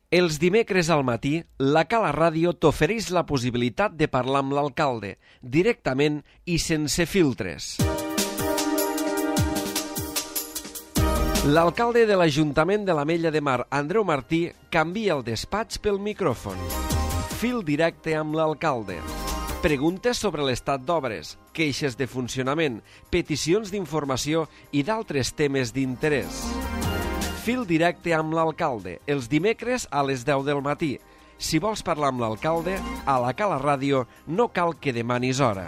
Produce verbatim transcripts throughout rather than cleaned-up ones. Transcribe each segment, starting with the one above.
Els dimecres al matí, la Cala Ràdio t'ofereix la possibilitat de parlar amb l'alcalde, directament i sense filtres. L'alcalde de l'Ajuntament de l'Ametlla de Mar, Andreu Martí, canvia el despatx pel micròfon. Fil directe amb l'alcalde. Preguntes sobre l'estat d'obres, queixes de funcionament, peticions d'informació i d'altres temes d'interès. Fil directe amb l'alcalde, els dimecres a les deu del matí. Si vols parlar amb l'alcalde, a la Cala Ràdio no cal que demanis hora.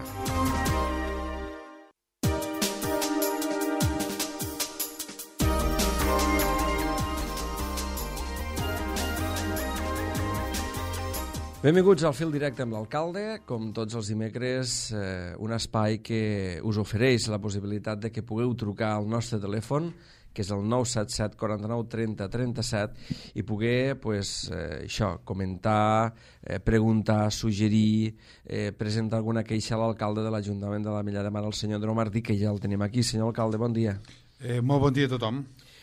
Benvinguts al Fil directe amb l'alcalde. Com tots els dimecres, eh, un espai que us ofereix la possibilitat de que pugueu trucar al nostre telèfon, que és el nou set set quaranta-nou trenta trenta-set, i poder pues, eh, això, comentar, eh, preguntar, suggerir, eh, presentar alguna queixa a l'alcalde de l'Ajuntament de l'Ametlla de Mar, el senyor Andreu Martí, que ja el tenim aquí. Senyor alcalde, bon dia. Eh, molt bon dia a tothom.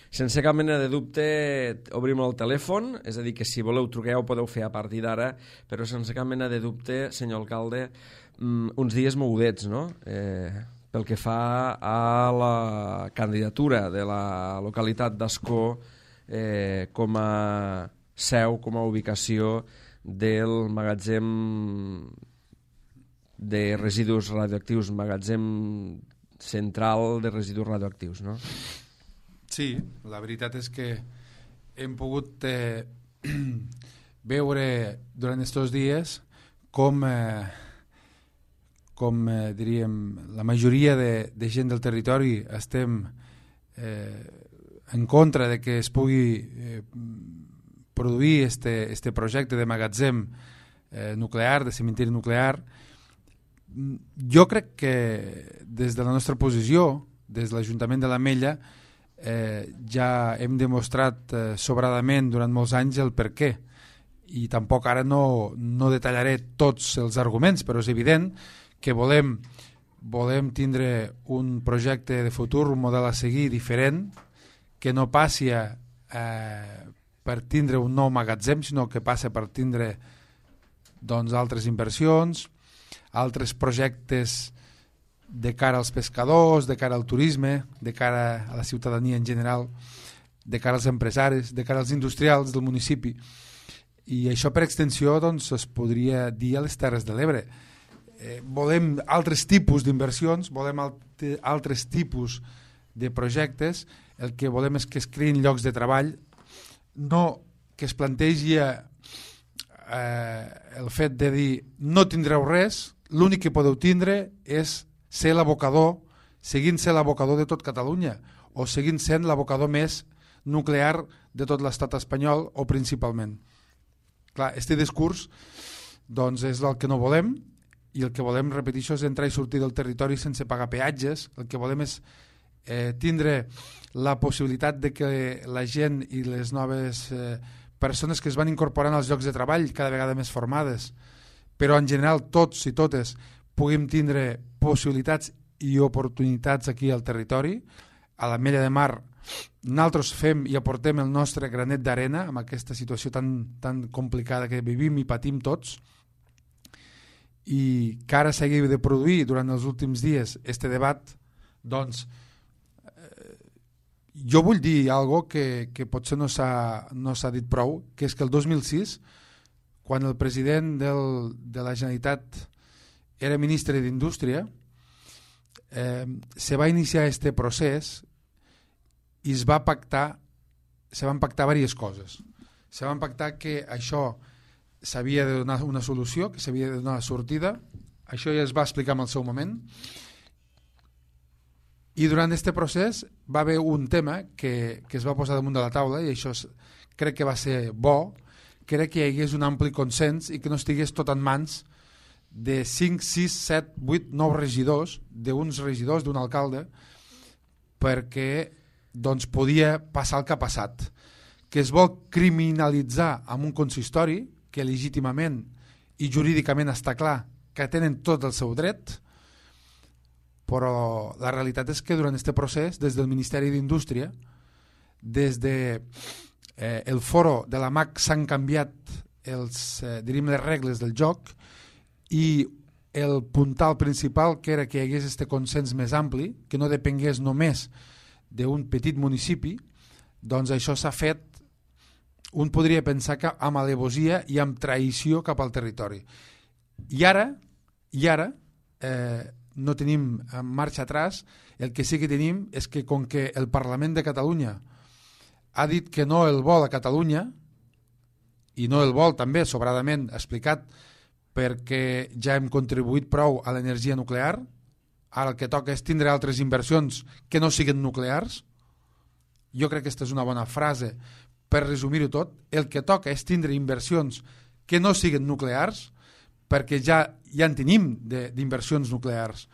Sense cap mena de dubte, obrim el telèfon, és a dir, que si voleu trucar ja ho podeu fer a partir d'ara, però sense cap mena de dubte, senyor alcalde, uns dies mogudets, no?, eh, pel que fa a la candidatura de la localitat d'Ascó eh, com a seu, com a ubicació del magatzem de residus radioactius, magatzem central de residus radioactius, no? Sí, la veritat és que hem pogut eh, veure durant aquests dies com, eh, com eh, diríem, la majoria de, de gent del territori estem eh, en contra de que es pugui eh, produir este, este projecte de magatzem eh, nuclear, de cementiri nuclear. Jo crec que des de la nostra posició, des de l'Ajuntament de l'Ametlla, Eh, ja hem demostrat eh, sobradament durant molts anys el per què, i tampoc ara no, no detallaré tots els arguments, però és evident que volem, volem tindre un projecte de futur, un model a seguir diferent, que no passi a, eh, per tindre un nou magatzem, sinó que passa per tindre doncs, altres inversions, altres projectes de cara als pescadors, de cara al turisme, de cara a la ciutadania en general, de cara als empresaris, de cara als industrials del municipi. I això per extensió doncs, es podria dir a les Terres de l'Ebre. Eh, volem altres tipus d'inversions, volem alt altres tipus de projectes, el que volem és que es creïn llocs de treball, no que es plantegi eh, el fet de dir no tindreu res, l'únic que podeu tindre és ser l'abocador, seguint ser l'abocador de tot Catalunya, o seguint sent l'abocador més nuclear de tot l'estat espanyol, o principalment. Clar, este discurs doncs, és el que no volem, i el que volem, repeteixo, és entrar i sortir del territori sense pagar peatges. El que volem és eh, tindre la possibilitat de que la gent i les noves eh, persones que es van incorporant als llocs de treball, cada vegada més formades, però en general tots i totes puguem tindre possibilitats i oportunitats aquí al territori. A l'Ametlla de Mar nosaltres fem i aportem el nostre granet d'arena amb aquesta situació tan, tan complicada que vivim i patim tots, i que ara s'hagi de produir durant els últims dies este debat. Doncs eh, jo vull dir algo que, que potser no s'ha no s'ha dit prou, que és que el dos mil sis, quan el president del, de la Generalitat era ministre d'Indústria, eh, se va iniciar este procés i es va pactar, se van pactar diverses coses. Se van pactar que això s'havia de donar una solució, que s'havia de donar sortida, això ja es va explicar en el seu moment, i durant aquest procés va haver un tema que, que es va posar damunt de la taula, i això es, crec que va ser bo, crec que hi hagués un ampli consens i que no estigués tot en mans de cinc, sis, set, vuit, nou regidors, d'uns regidors, d'un alcalde, perquè doncs, podia passar el que ha passat. Que es vol criminalitzar amb un consistori que legítimament i jurídicament està clar que tenen tot el seu dret, però la realitat és que durant aquest procés, des del Ministeri d'Indústria, des de eh, el foro de la M A C s'han canviat els, eh, diríem, les regles del joc, i el puntal principal, que era que hi hagués este consens més ampli, que no depengués només d'un petit municipi, doncs això s'ha fet, un podria pensar que amb alevosia i amb traïció cap al territori. I ara, i ara eh, no tenim marxa atràs, el que sí que tenim és que com que el Parlament de Catalunya ha dit que no el vol a Catalunya, i no el vol també sobradament explicat perquè ja hem contribuït prou a l'energia nuclear, ara el que toca és tindre altres inversions que no siguin nuclears. Jo crec que aquesta és una bona frase per resumir-ho tot. El que toca és tindre inversions que no siguin nuclears, perquè ja, ja en tenim d'inversions nuclears.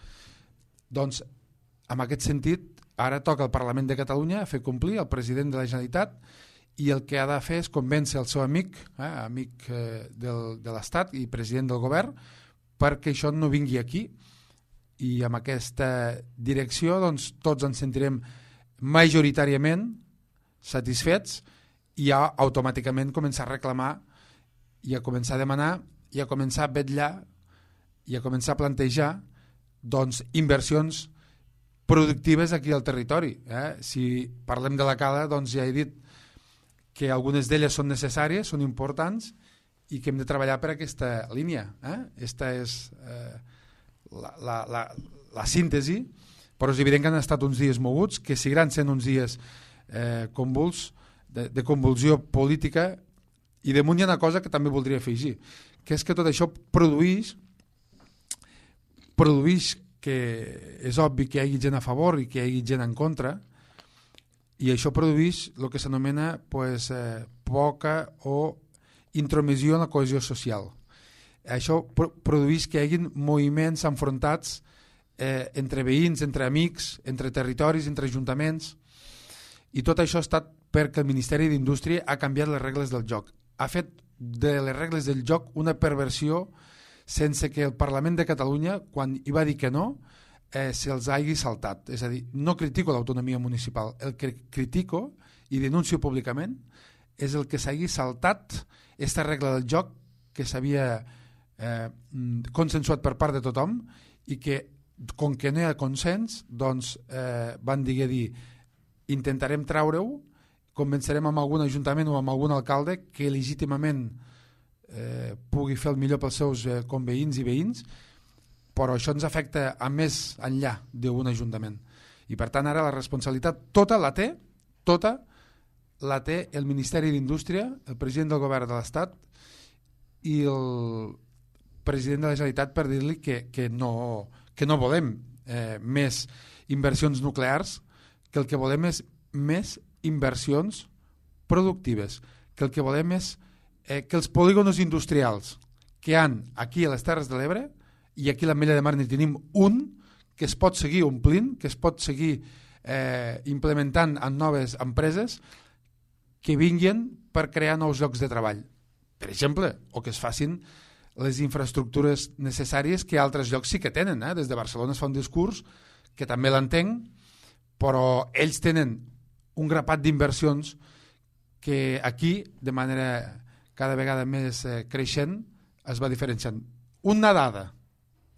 Doncs, en aquest sentit, ara toca al Parlament de Catalunya fer complir el president de la Generalitat, i el que ha de fer és convèncer el seu amic, eh, amic eh, del, de l'Estat i president del govern, perquè això no vingui aquí. I amb aquesta direcció doncs, tots ens sentirem majoritàriament satisfets i ja automàticament començar a reclamar i a començar a demanar i a començar a vetllar i a començar a plantejar doncs, inversions productives aquí al territori. Eh? Si parlem de la Cala, doncs ja he dit que algunes d'elles són necessàries, són importants, i que hem de treballar per aquesta línia. Eh? Esta és eh, la, la, la, la síntesi, però és evident que han estat uns dies moguts, que seguiran sent uns dies eh, convuls, de, de convulsió política, i damunt hi ha una cosa que també voldria afegir, que és que tot això produeix, produeix que és obvi que hi hagi gent a favor i que hi hagi gent en contra, i això produeix el que s'anomena pues, eh, poca o intromissió en la cohesió social. Això pro produeix que hi hagi moviments enfrontats eh, entre veïns, entre amics, entre territoris, entre ajuntaments, i tot això ha estat perquè el Ministeri d'Indústria ha canviat les regles del joc. Ha fet de les regles del joc una perversió sense que el Parlament de Catalunya, quan hi va dir que no, eh, se'ls hagi saltat. És a dir, no critico l'autonomia municipal, el que critico i denuncio públicament és el que s'hagi saltat aquesta regla del joc que s'havia eh, consensuat per part de tothom i que, com que no hi ha consens, doncs eh, van dir, dir intentarem traure-ho, convencerem amb algun ajuntament o amb algun alcalde que legítimament eh, pugui fer el millor pels seus eh, conveïns i veïns, però això ens afecta a més enllà d'un ajuntament. I per tant ara la responsabilitat tota la té, tota la té el Ministeri d'Indústria, el president del govern de l'Estat i el president de la Generalitat per dir-li que, que, no, que no volem eh, més inversions nuclears, que el que volem és més inversions productives, que el que volem és eh, que els polígonos industrials que hi ha aquí a les Terres de l'Ebre, i aquí a l'Ametlla de Mar n'hi tenim un, que es pot seguir omplint, que es pot seguir eh, implementant en noves empreses, que vinguin per crear nous llocs de treball, per exemple, o que es facin les infraestructures necessàries que altres llocs sí que tenen. Eh? Des de Barcelona es fa un discurs que també l'entenc, però ells tenen un grapat d'inversions que aquí, de manera cada vegada més eh, creixent, es va diferenciant. Una dada,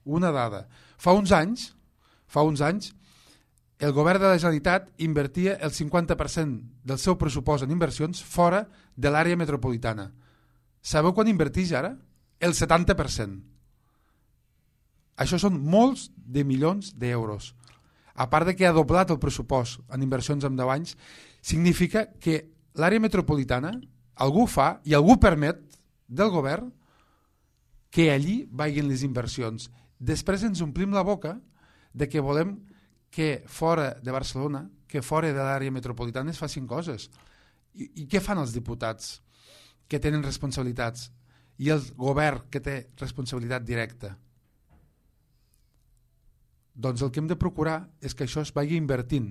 una dada. Fa uns anys, fa uns anys, el govern de la Generalitat invertia el cinquanta per cent del seu pressupost en inversions fora de l'àrea metropolitana. Sabeu quan inverteix ara? El setanta per cent. Això són molts de milions d'euros. A part de que ha doblat el pressupost en inversions en deu anys, significa que l'àrea metropolitana algú fa i algú permet del govern que allí vagin les inversions. Després ens omplim la boca de que volem que fora de Barcelona, que fora de l'àrea metropolitana es facin coses. I, I què fan els diputats que tenen responsabilitats i el govern que té responsabilitat directa? Doncs el que hem de procurar és que això es vagi invertint,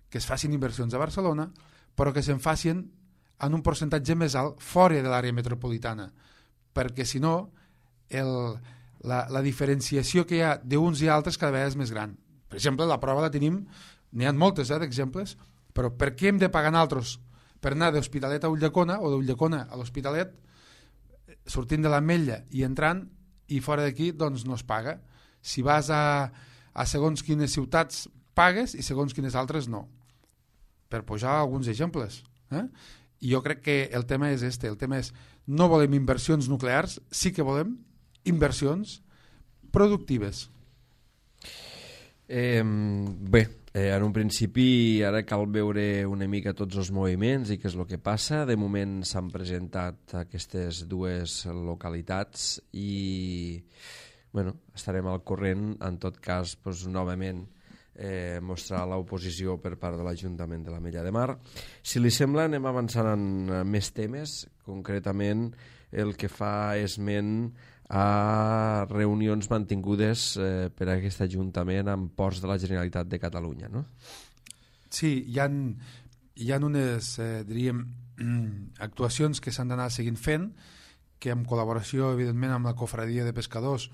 que es facin inversions a Barcelona, però que se'n facin en un percentatge més alt fora de l'àrea metropolitana, perquè si no el, la, la diferenciació que hi ha d'uns i altres cada vegada és més gran. Per exemple, la prova la tenim, n'hi ha moltes eh, d'exemples, però per què hem de pagar nosaltres per anar d'Hospitalet a Ulldecona o d'Ulldecona a l'Hospitalet, sortint de l'Ametlla i entrant, i fora d'aquí doncs no es paga. Si vas a, a segons quines ciutats pagues i segons quines altres no, per posar alguns exemples, eh? I jo crec que el tema és este, el tema és no volem inversions nuclears, sí que volem inversions productives. Eh, bé, eh, en un principi ara cal veure una mica tots els moviments i què és el que passa. De moment s'han presentat aquestes dues localitats i bueno, estarem al corrent. En tot cas, doncs, novament eh, mostrar l'oposició per part de l'Ajuntament de l'Ametlla de Mar. Si li sembla, anem avançant en més temes, concretament el que fa esment a reunions mantingudes eh, per a aquest Ajuntament amb ports de la Generalitat de Catalunya, no? Sí, hi ha, hi ha unes, eh, diríem, actuacions que s'han d'anar seguint fent, que en col·laboració, evidentment, amb la Cofradia de Pescadors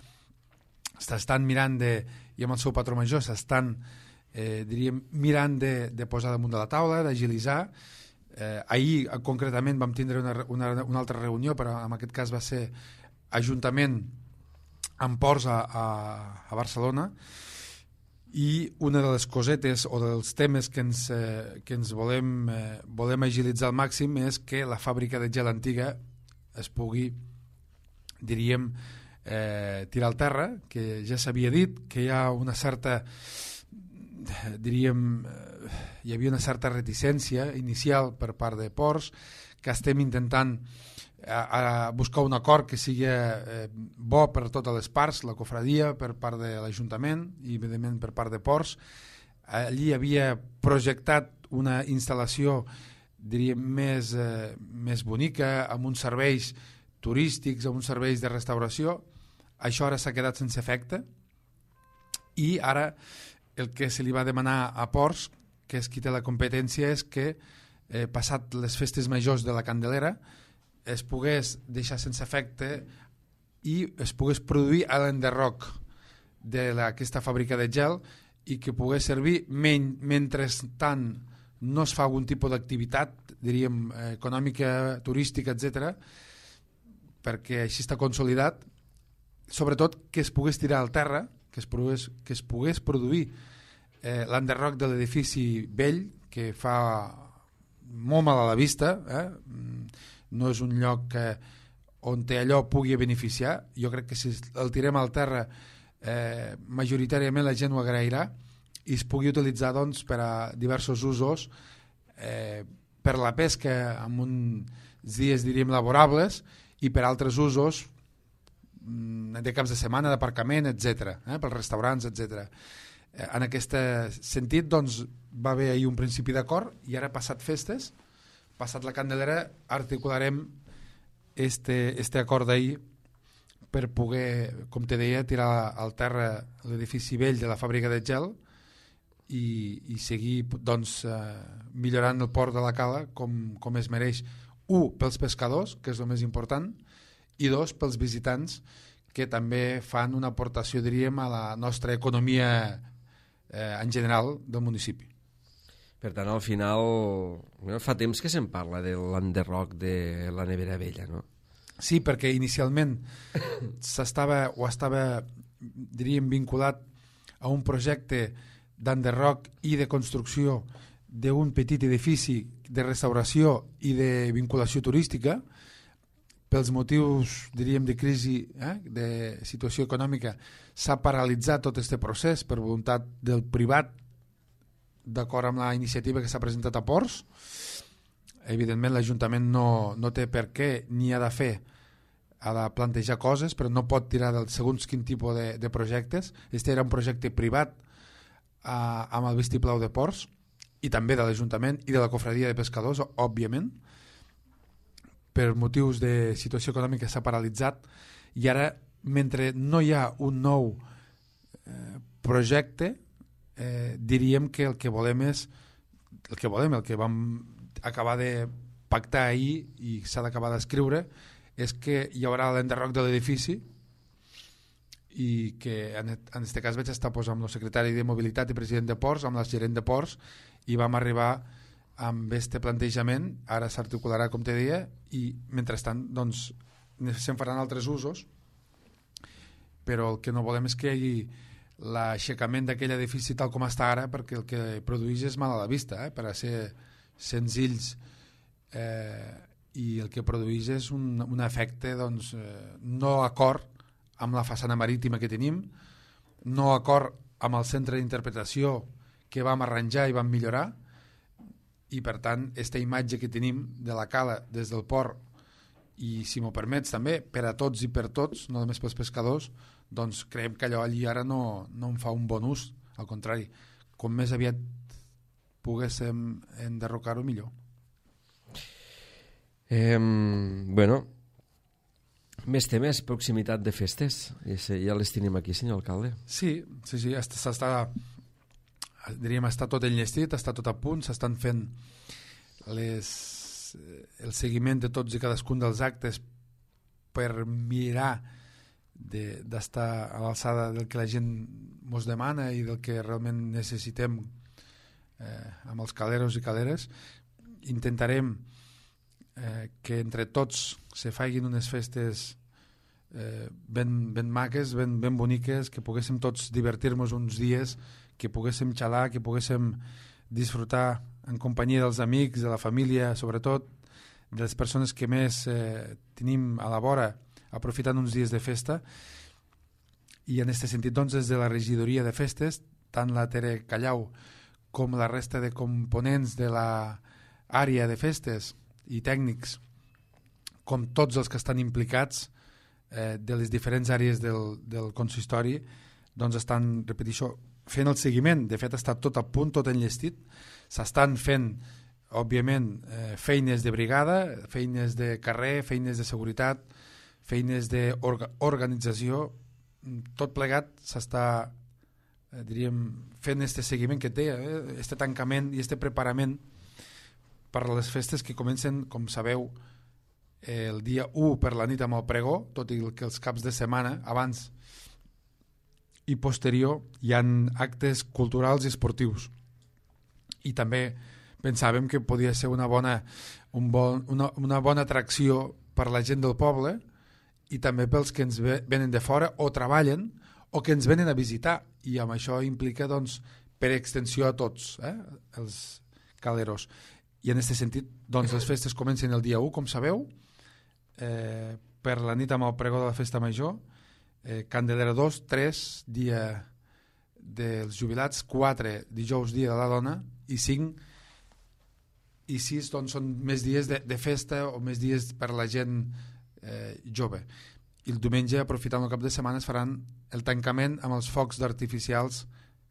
s'estan mirant de, i amb el seu patró major s'estan, eh, diríem, mirant de, de posar damunt de la taula, d'agilitzar. Eh, ahir, concretament, vam tindre una, una, una altra reunió, però en aquest cas va ser Ajuntament amb ports a, a, a Barcelona, i una de les cosetes o dels temes que ens, eh, que ens volem, eh, volem agilitzar al màxim és que la fàbrica de gel antiga es pugui, diríem, eh, tirar al terra, que ja s'havia dit que hi ha una certa, diríem, eh, hi havia una certa reticència inicial per part de ports, que estem intentant a, a buscar un acord que sigui eh, bo per totes les parts, la cofradia, per part de l'Ajuntament i evidentment per part de ports. Allí havia projectat una instal·lació, diríem, més, eh, més bonica, amb uns serveis turístics, amb uns serveis de restauració. Això ara s'ha quedat sense efecte, i ara el que se li va demanar a Ports, que és qui té la competència, és que eh, passat les festes majors de la Candelera es pogués deixar sense efecte i es pogués produir a l'enderroc d'aquesta fàbrica de gel, i que pogués servir men mentrestant no es fa algun tipus d'activitat, diríem, econòmica, turística, etcètera, perquè així està consolidat. Sobretot que es pogués tirar al terra, que es pogués, que es pogués produir eh, l'enderroc de l'edifici vell, que fa molt mal a la vista, eh? No és un lloc que, on allò pugui beneficiar. Jo crec que si el tirem al terra, eh, majoritàriament la gent ho agrairà, i es pugui utilitzar doncs, per a diversos usos, eh, per la pesca en uns dies, diríem, laborables, i per altres usos de caps de setmana, d'aparcament, etcètera, eh, pels restaurants, etcètera. Eh, en aquest sentit, doncs, va haver ahir un principi d'acord, i ara, passat festes, passat la Candelera, articularem este, este acord d'ahir per poder, com te deia, tirar al terra l'edifici vell de la fàbrica de gel i, i seguir doncs, eh, millorant el port de la Cala com, com es mereix. Un, pels pescadors, que és el més important, i dos, pels visitants, que també fan una aportació, diríem, a la nostra economia eh, en general del municipi. Per tant, al final, fa temps que se'n parla de l'enderroc de la nevera vella, no? Sí, perquè inicialment s'estava o estava, diríem, vinculat a un projecte d'enderroc i de construcció d'un petit edifici de restauració i de vinculació turística. Pels motius, diríem, de crisi, eh, de situació econòmica, s'ha paralitzat tot aquest procés per voluntat del privat, d'acord amb la iniciativa que s'ha presentat a Ports. Evidentment l'Ajuntament no, no té per què ni ha de fer, ha de plantejar coses, però no pot tirar del segons quin tipus de, de projectes. Este era un projecte privat eh, amb el vistiplau de Ports, i també de l'Ajuntament i de la Cofradia de Pescadors, òbviament. Per motius de situació econòmica s'ha paralitzat, i ara, mentre no hi ha un nou eh, projecte, Eh, diríem que el que volem és el que volem, el que vam acabar de pactar ahir i s'ha d'acabar d'escriure, és que hi haurà l'enderroc de l'edifici, i que en aquest cas vaig estar pues, amb el secretari de Mobilitat i president de Ports, amb el gerent de Ports, i vam arribar amb este plantejament, ara s'articularà, com te deia, i mentrestant doncs, se'n faran altres usos, però el que no volem és que hi hagi l'aixecament d'aquell edifici tal com està ara, perquè el que produeix és mal a la vista, eh? Per a ser senzills, eh, i el que produeix és un, un efecte doncs, eh, no acord amb la façana marítima que tenim, no acord amb el centre d'interpretació que vam arranjar i vam millorar, i per tant aquesta imatge que tenim de la cala des del port, i si m'ho permets també per a tots i per tots, no només pels pescadors, doncs creiem que allò allí ara no, no en fa un bon ús, al contrari, com més aviat poguéssim enderrocar-ho millor. Eh, bueno, més temes, proximitat de festes, ja les tenim aquí, senyor alcalde. Sí, sí, sí, s'està, diríem, està tot enllestit, està tot a punt, s'estan fent les, el seguiment de tots i cadascun dels actes per mirar d'estar a l'alçada del que la gent ens demana i del que realment necessitem eh, amb els caleros i caleres. Intentarem eh, que entre tots se facin unes festes eh, ben, ben maques, ben, ben boniques, que poguéssim tots divertir-nos uns dies, que poguéssim xalar, que poguéssim disfrutar en companyia dels amics, de la família, sobretot de les persones que més eh, tenim a la vora, aprofitant uns dies de festa. I en aquest sentit, doncs, des de la regidoria de festes, tant la Tere Callau com la resta de components de l'àrea de festes i tècnics, com tots els que estan implicats eh, de les diferents àrees del, del consistori, doncs estan, repeteixo, fent el seguiment. De fet, està tot a punt, tot enllestit. S'estan fent, òbviament, eh, feines de brigada, feines de carrer, feines de seguretat, feines d'organització, tot plegat s'està, eh, diríem, fent este seguiment que té, eh, este tancament i este preparament per a les festes que comencen, com sabeu, eh, el dia u per la nit amb el pregó, tot i que els caps de setmana, abans i posterior, hi ha actes culturals i esportius. I també pensàvem que podia ser una bona, un bon, una, una bona atracció per la gent del poble i també pels que ens venen de fora o treballen o que ens venen a visitar, i amb això implica doncs, per extensió a tots, eh, els caleros. I en aquest sentit, doncs, les festes comencen el dia u, com sabeu, eh, per la nit amb el pregó de la festa major, eh, Candelera dos, tres, dia dels jubilats, quatre, dijous, dia de la dona, i cinc i sis doncs, són més dies de, de festa o més dies per la gent eh, jove. I el diumenge, aprofitant el cap de setmana, es faran el tancament amb els focs d'artificials,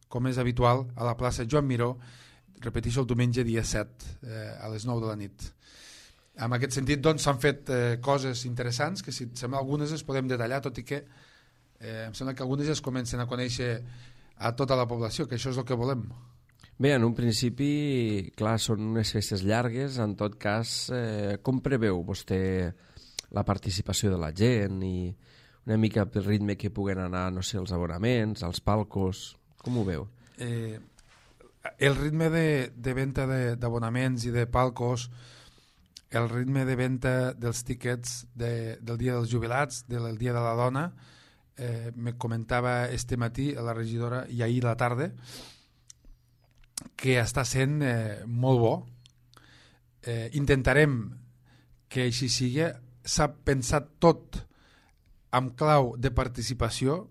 com és habitual, a la plaça Joan Miró, repeteixo, el diumenge dia set, eh, a les nou de la nit. En aquest sentit, doncs, s'han fet eh, coses interessants, que si et sembla algunes les podem detallar, tot i que eh, em sembla que algunes ja es comencen a conèixer a tota la població, que això és el que volem. Bé, en un principi, clar, són unes festes llargues, en tot cas, eh, com preveu vostè la participació de la gent i una mica pel ritme que puguen anar, no sé, els abonaments, els palcos, com ho veu? Eh, el ritme de, de venda d'abonaments i de palcos, el ritme de venda dels tíquets de, del dia dels jubilats, del dia de la dona, eh, me comentava este matí a la regidora i ahir a la tarda, que està sent eh, molt bo. Eh, intentarem que així sigui. S'ha pensat tot amb clau de participació.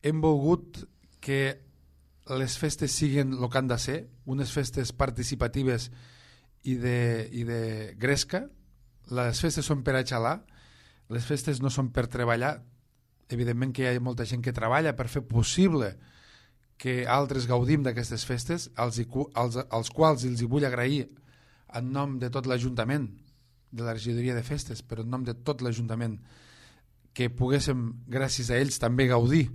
Hem volgut que les festes siguin el que han de ser, unes festes participatives i de, i de gresca. Les festes són per a xalar, les festes no són per treballar. Evidentment que hi ha molta gent que treballa per fer possible que altres gaudim d'aquestes festes, als, als, als quals els hi vull agrair en nom de tot l'Ajuntament, de la regidoria de festes, però en nom de tot l'Ajuntament, que poguéssim, gràcies a ells, també gaudir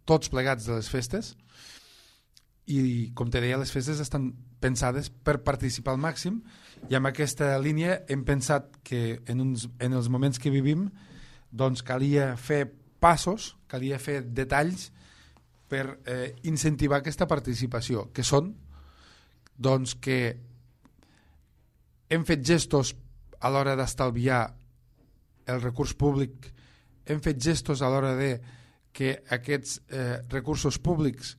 tots plegats de les festes. I, com te deia, les festes estan pensades per participar al màxim, i amb aquesta línia hem pensat que en, uns, en els moments que vivim doncs calia fer passos, calia fer detalls per eh, incentivar aquesta participació, que són doncs, que hem fet gestos a l'hora d'estalviar el recurs públic, hem fet gestos a l'hora de que aquests eh, recursos públics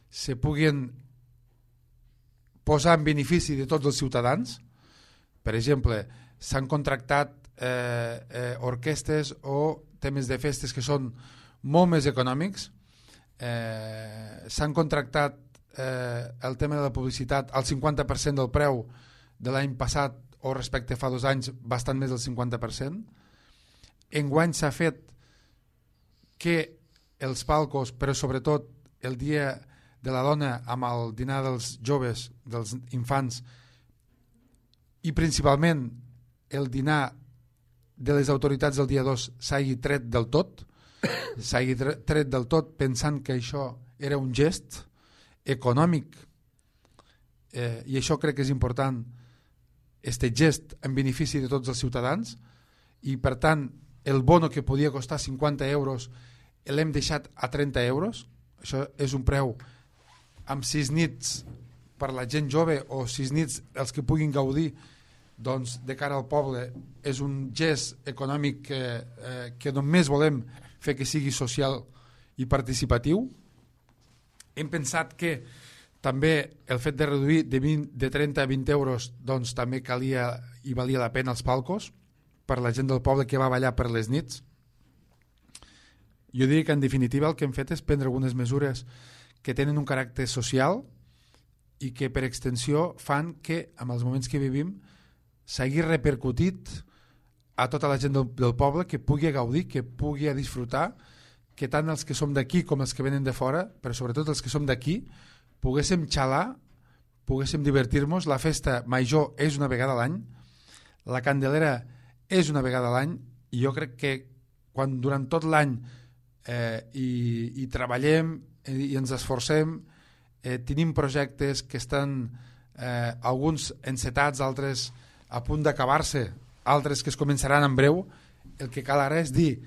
se puguin posar en benefici de tots els ciutadans. Per exemple, s'han contractat eh, eh, orquestes o temes de festes que són molt més econòmics, eh, s'han contractat eh, el tema de la publicitat al cinquanta per cent del preu de l'any passat o respecte a fa dos anys bastant més del cinquanta per cent. Enguany s'ha fet que els palcos, però sobretot el dia de la dona amb el dinar dels joves, dels infants, i principalment el dinar de les autoritats del dia dos s'hagi tret del tot, s'hagi tret del tot pensant que això era un gest econòmic, eh, i això crec que és important, este gest en benefici de tots els ciutadans, i per tant el bono que podia costar cinquanta euros l'hem deixat a trenta euros. Això és un preu amb sis nits per la gent jove o sis nits els que puguin gaudir, doncs de cara al poble és un gest econòmic que, eh, que només volem fer que sigui social i participatiu. Hem pensat que també el fet de reduir de, vint, de trenta a vint euros doncs també calia i valia la pena els palcos per la gent del poble que va ballar per les nits. Jo diria que en definitiva el que hem fet és prendre algunes mesures que tenen un caràcter social i que per extensió fan que en els moments que vivim s'hagi repercutit a tota la gent del, del poble, que pugui gaudir, que pugui disfrutar, que tant els que som d'aquí com els que venen de fora, però sobretot els que som d'aquí, poguéssim xalar, poguéssim divertir-nos. La festa major és una vegada a l'any, la Candelera és una vegada a l'any, i jo crec que quan durant tot l'any eh, i, i treballem i ens esforcem, eh, tenim projectes que estan eh, alguns encetats, altres a punt d'acabar-se, altres que es començaran en breu. El que cal ara és dir,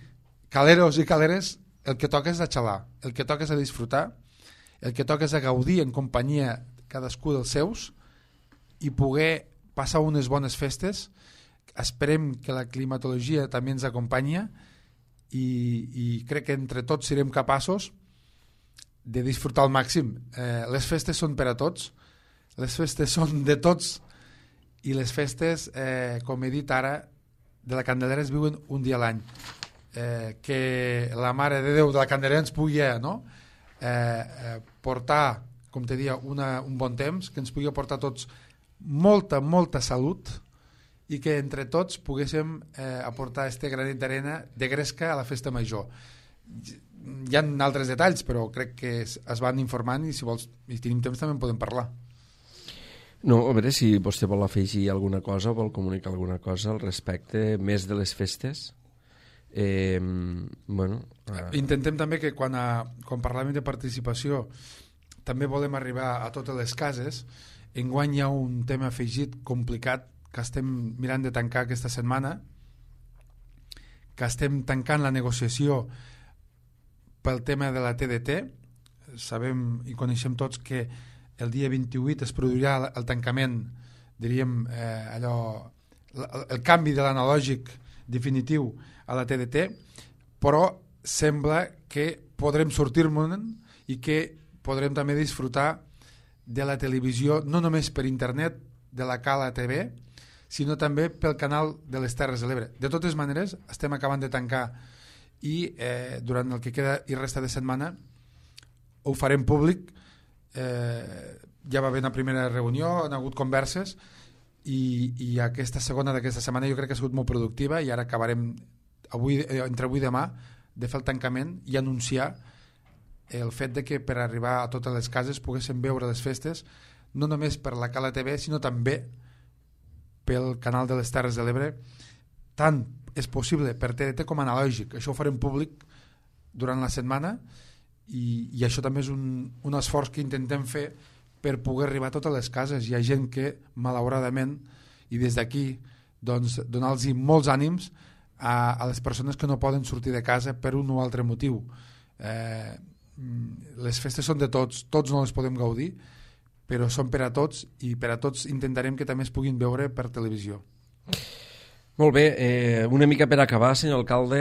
caleros i caleres, el que toca és a xalar, el que toca és a disfrutar, el que toca és a gaudir en companyia cadascú dels seus i poder passar unes bones festes. Esperem que la climatologia també ens acompanya i, i crec que entre tots serem capaços de disfrutar al màxim. Eh, les festes són per a tots, les festes són de tots, i les festes, eh, com he dit ara, de la Candelera es viuen un dia a l'any. Eh, que la Mare de Déu de la Candelera ens pugui eh, no? eh, eh, portar, com te dia, una, un bon temps, que ens pugui aportar tots molta, molta salut i que entre tots poguéssim eh, aportar este granet d'arena de gresca a la festa major. Hi ha altres detalls, però crec que es, es van informant i si vols, i tenim temps també en podem parlar. No, a veure si vostè vol afegir alguna cosa, vol comunicar alguna cosa al respecte, més de les festes. Eh, bueno, eh. Intentem també que quan, a, quan parlem de participació també volem arribar a totes les cases. Enguany hi ha un tema afegit complicat que estem mirant de tancar aquesta setmana, que estem tancant la negociació pel tema de la T D T. Sabem i coneixem tots que el dia vint-i-vuit es produirà el tancament, diríem, eh, allò, el, el canvi de l'analògic definitiu a la T D T, però sembla que podrem sortir-me'n i que podrem també disfrutar de la televisió, no només per internet, de la Cala T V, sinó també pel canal de les Terres de l'Ebre. De totes maneres, estem acabant de tancar i eh, durant el que queda i resta de setmana ho farem públic. Eh, ja va haver una primera reunió, han hagut converses i, i aquesta segona d'aquesta setmana jo crec que ha sigut molt productiva i ara acabarem avui, eh, entre avui i demà de fer el tancament i anunciar el fet de que per arribar a totes les cases poguéssim veure les festes no només per la Cala T V sinó també pel canal de les Terres de l'Ebre, tant és possible per T D T com analògic. Això ho farem públic durant la setmana I, i això també és un, un esforç que intentem fer per poder arribar a totes les cases. Hi ha gent que malauradament, i des d'aquí doncs, donar-los molts ànims a, a les persones que no poden sortir de casa per un o altre motiu. Eh, les festes són de tots, tots no les podem gaudir, però són per a tots i per a tots intentarem que també es puguin veure per televisió. Molt bé, eh, una mica per acabar, senyor alcalde,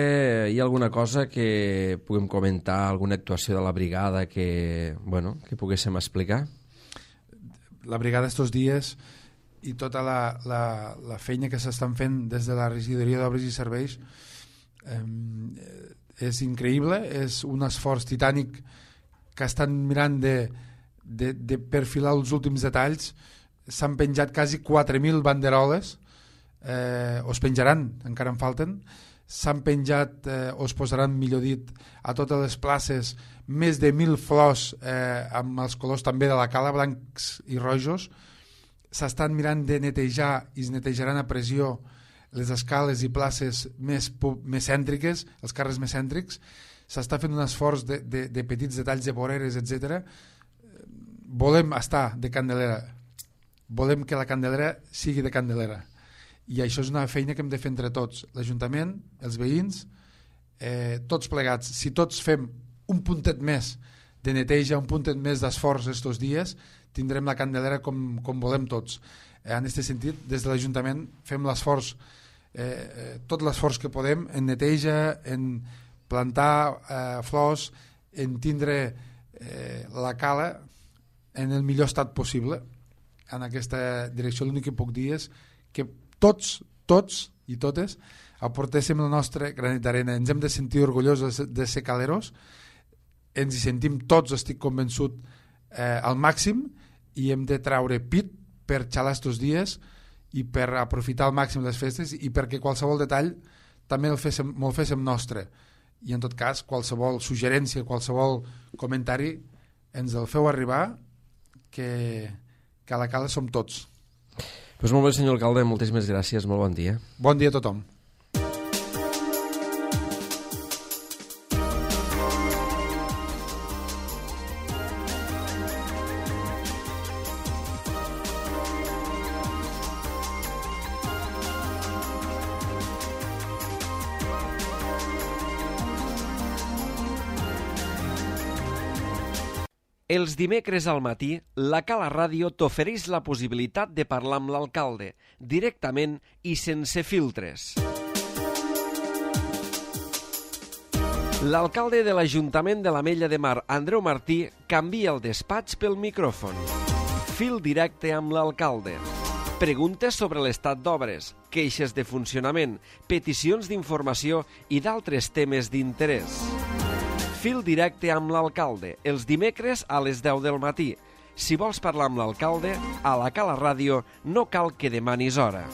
hi ha alguna cosa que puguem comentar, alguna actuació de la brigada que, bueno, que poguéssim explicar? La brigada estos dies i tota la, la, la feina que s'estan fent des de la regidoria d'obres i serveis eh, és increïble, és un esforç titànic que estan mirant de, de, de perfilar els últims detalls. S'han penjat quasi quatre mil banderoles, eh, o es penjaran, encara en falten. S'han penjat, eh, o es posaran, millor dit, a totes les places més de mil flors eh, amb els colors també de la cala, blancs i rojos. S'estan mirant de netejar i es netejaran a pressió les escales i places més, més cèntriques, els carrers més cèntrics. S'està fent un esforç de, de, de petits detalls de voreres, etcètera. Volem estar de Candelera, volem que la Candelera sigui de Candelera, i això és una feina que hem de fer entre tots, l'Ajuntament, els veïns, eh, tots plegats. Si tots fem un puntet més de neteja, un puntet més d'esforç estos dies, tindrem la Candelera com, com volem tots. Eh, en aquest sentit, des de l'Ajuntament fem l'esforç, eh, eh, tot l'esforç que podem en neteja, en plantar eh, flors, en tindre eh, la cala en el millor estat possible. En aquesta direcció l'únic que puc dir és que tots, tots i totes aportéssim el nostre granet d'arena. Ens hem de sentir orgullosos de ser caleros, ens hi sentim tots, estic convençut, eh, al màxim, i hem de traure pit per xalar estos dies i per aprofitar al màxim les festes i perquè qualsevol detall també el féssim, me'l féssim nostre. I en tot cas, qualsevol suggerència, qualsevol comentari, ens el feu arribar, que, que a la cala som tots. Pues molt bé, senyor alcalde, moltíssimes gràcies, molt bon dia. Bon dia a tothom. Els dimecres al matí, la Cala Ràdio t'ofereix la possibilitat de parlar amb l'alcalde, directament i sense filtres. L'alcalde de l'Ajuntament de l'Ametlla de Mar, Andreu Martí, canvia el despatx pel micròfon. Fil directe amb l'alcalde. Preguntes sobre l'estat d'obres, queixes de funcionament, peticions d'informació i d'altres temes d'interès. Fil directe amb l'alcalde, els dimecres a les deu del matí. Si vols parlar amb l'alcalde, a la Cala Ràdio no cal que demanis hora.